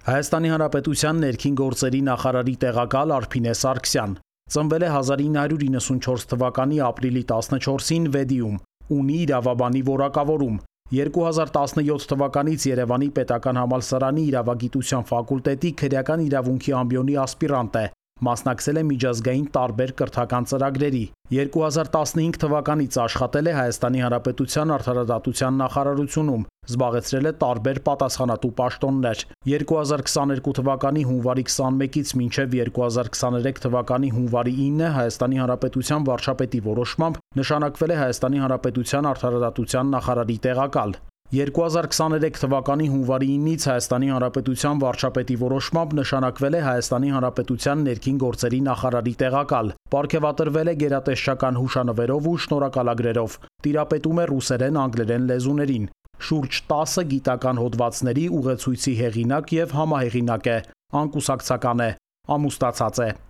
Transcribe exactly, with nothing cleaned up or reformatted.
Հայաստանի Հանրապետության ներքին գործերի նախարարի տեղակալ Արփինե Սարգսյան ծնվել է հազար ինը հարյուր իննսունչորս թվականի ապրիլի տասնչորսին Վեդիում, ունի իրավաբանի որակավորում, երկու հազար տասնյոթ թվականից Երևանի պետական համալսարանի իրավագիտության ֆակուլտետի քրեական իրավունքի ամբիոնի ասպիրանտ է, մասնակցել է միջազգային տարբեր կրթական ծրագրերի, երկու հազար տասնհինգ թվականից աշխատել է Հայաստանի Հանրապետության արդարադատության նախարարությունում, զբաղեցրել է տարբեր պատասխանատու պաշտոններ, երկու հազար քսաներկու թվականի հունվարի քսանմեկից մինչև երկու հազար քսաներեք թվականի հունվարի ինը Հայաստանի Հանրապետության վարչապետի որոշմամբ նշանակվել է Հայաստանի Հանրապետության արդարադատության նախարարի տեղակալ, երկու հազար քսաներեք թվականի հունվարի ինից Հայաստանի Հանրապետության վարչապետի որոշմամբ նշանակվել է Հայաստանի Հանրապետության ներքին գործերի նախարարի տեղակալ, պարգևատրվել է գերատեսչական հուշանվերով ու շնորհակալագրերով, տիրապետում է ռուսերեն, անգլերեն լեզուներին, շուրջ տասը գիտական հոդվածների ուղեցույցի հեղինակ և համահեղինակ է, անկուսակցական է, ամուսնացած է։